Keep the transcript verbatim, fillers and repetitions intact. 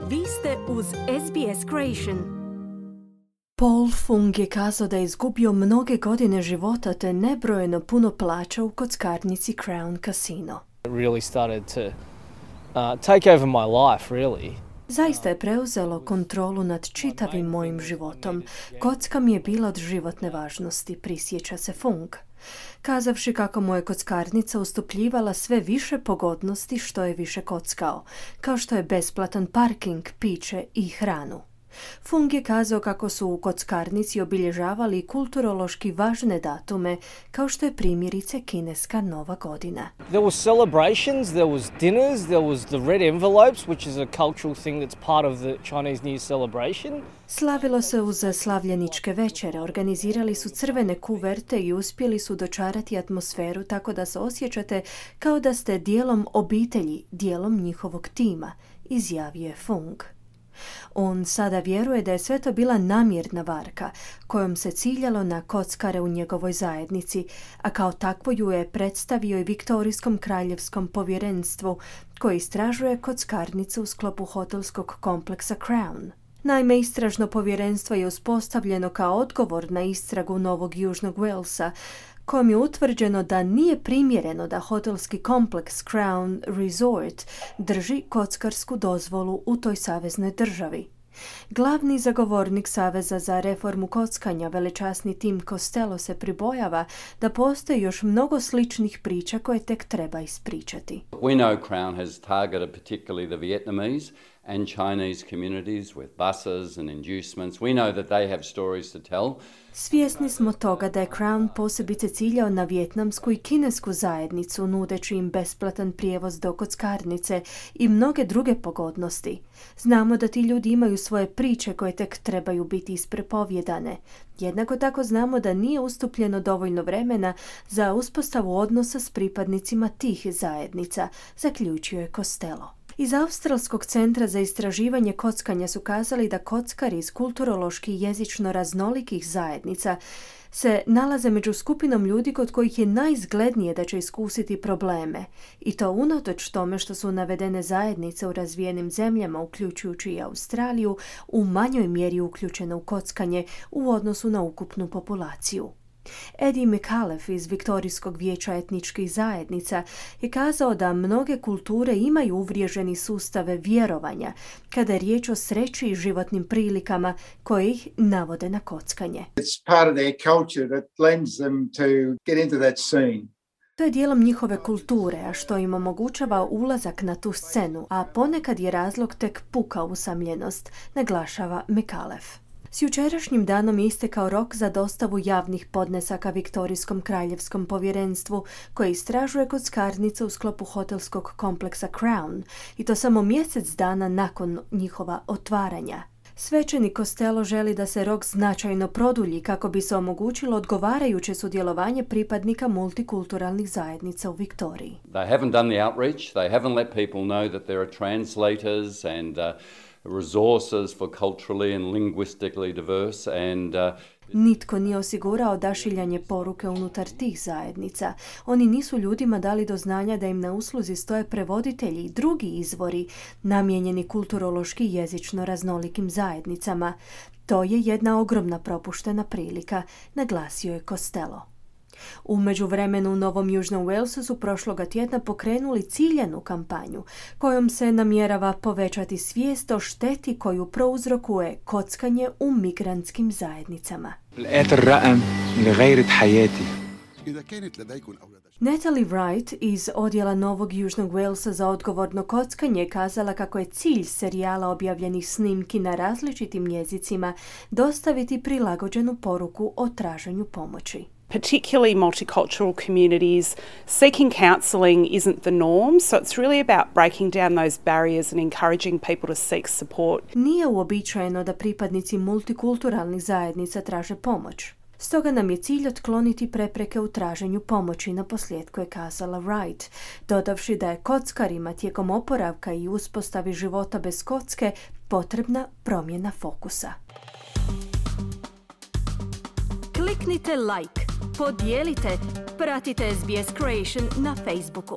Vi ste uz S B S Creation. Paul Fung je kazao da je izgubio mnoge godine života te nebrojeno puno plaća u kockarnici Crown Casino. It really started to uh, take over my life, really. Zaista je preuzelo kontrolu nad čitavim mojim životom. Kocka mi je bila od životne važnosti, prisjeća se Fung. Kazavši kako mu je kockarnica ustupljivala sve više pogodnosti što je više kockao, kao što je besplatan parking, piće i hranu. Fung je kazao kako su u kockarnici obilježavali kulturološki važne datume, kao što je primjerice kineska Nova godina. There was celebrations, there was dinners, there was the red envelopes, which is a cultural thing that's part of the Chinese New Year celebration. Slavilo se uz slavljeničke večere, organizirali su crvene kuverte i uspjeli su dočarati atmosferu tako da se osjećate kao da ste dijelom obitelji, dijelom njihovog tima, izjavio je Fung. On sada vjeruje da je sve to bila namjerna varka kojom se ciljalo na kockare u njegovoj zajednici, a kao takvo ju je predstavio i Viktorijskom kraljevskom povjerenstvu koje istražuje kockarnicu u sklopu hotelskog kompleksa Crown. Naime, istražno povjerenstvo je uspostavljeno kao odgovor na istragu Novog Južnog Walesa, kojom je utvrđeno da nije primjereno da hotelski kompleks Crown Resort drži kockarsku dozvolu u toj saveznoj državi. Glavni zagovornik Saveza za reformu kockanja, velečasni Tim Costello, se pribojava da postoji još mnogo sličnih priča koje tek treba ispričati. We know Crown has targeted particularly the Vietnamese and Chinese communities with buses and inducements. We know that they have stories to tell. Svjesni smo toga da je Crown posebice ciljao na vijetnamsku i kinesku zajednicu, nudeći im besplatan prijevoz do kockarnice i mnoge druge pogodnosti. Znamo da ti ljudi imaju svoje priče koje tek trebaju biti isprepovjedane. Jednako tako znamo da nije ustupljeno dovoljno vremena za uspostavu odnosa s pripadnicima tih zajednica, zaključio je Costello. Iz Australskog centra za istraživanje kockanja su kazali da kockari iz kulturološki i jezično raznolikih zajednica se nalaze među skupinom ljudi kod kojih je najizglednije da će iskusiti probleme, i to unatoč tome što su navedene zajednice u razvijenim zemljama, uključujući i Australiju, u manjoj mjeri uključene u kockanje u odnosu na ukupnu populaciju. Eddie McAuliffe iz Viktorijskog vijeća etničkih zajednica je kazao da mnoge kulture imaju uvriježeni sustave vjerovanja kada je riječ o sreći i životnim prilikama koje ih navode na kockanje. It's part of their culture that lends them to get into that scene. To je dijelom njihove kulture, a što im omogućava ulazak na tu scenu, a ponekad je razlog tek puka usamljenost, naglašava McAuliffe. S jučerašnjim danom je istekao rok za dostavu javnih podnesaka Viktorijskom kraljevskom povjerenstvu koje istražuje kockarnice u sklopu hotelskog kompleksa Crown, i to samo mjesec dana nakon njihova otvaranja. Svećenik Costello želi da se rok značajno produlji kako bi se omogućilo odgovarajuće sudjelovanje pripadnika multikulturalnih zajednica u Viktoriji. They haven't done the outreach, they haven't let people know that there are translators and uh, resources for culturally and linguistically diverse and uh, Nitko nije osigurao odašiljanje poruke unutar tih zajednica. Oni nisu ljudima dali do znanja da im na usluzi stoje prevoditelji i drugi izvori namijenjeni kulturološki i jezično raznolikim zajednicama. To je jedna ogromna propuštena prilika, naglasio je Costello. U međuvremenu u Novom Južnom Walesu su prošloga tjedna pokrenuli ciljanu kampanju kojom se namjerava povećati svijest o šteti koju prouzrokuje kockanje u migrantskim zajednicama. Natalie Wright iz odjela Novog Južnog Walesa za odgovorno kockanje je kazala kako je cilj serijala objavljenih snimki na različitim jezicima dostaviti prilagođenu poruku o traženju pomoći. Particularly multicultural communities, seeking counselling isn't the norm, so it's really about breaking down those barriers and encouraging people to seek support. Nije uobičajeno da pripadnici multikulturalnih zajednica traže pomoć. Stoga nam je cilj otkloniti prepreke u traženju pomoći, na posljedku je kazala Wright, dodavši da je kockarima tijekom oporavka i uspostavi života bez kocke potrebna promjena fokusa. Kliknite like, podijelite, pratite S B S Creation na Facebooku.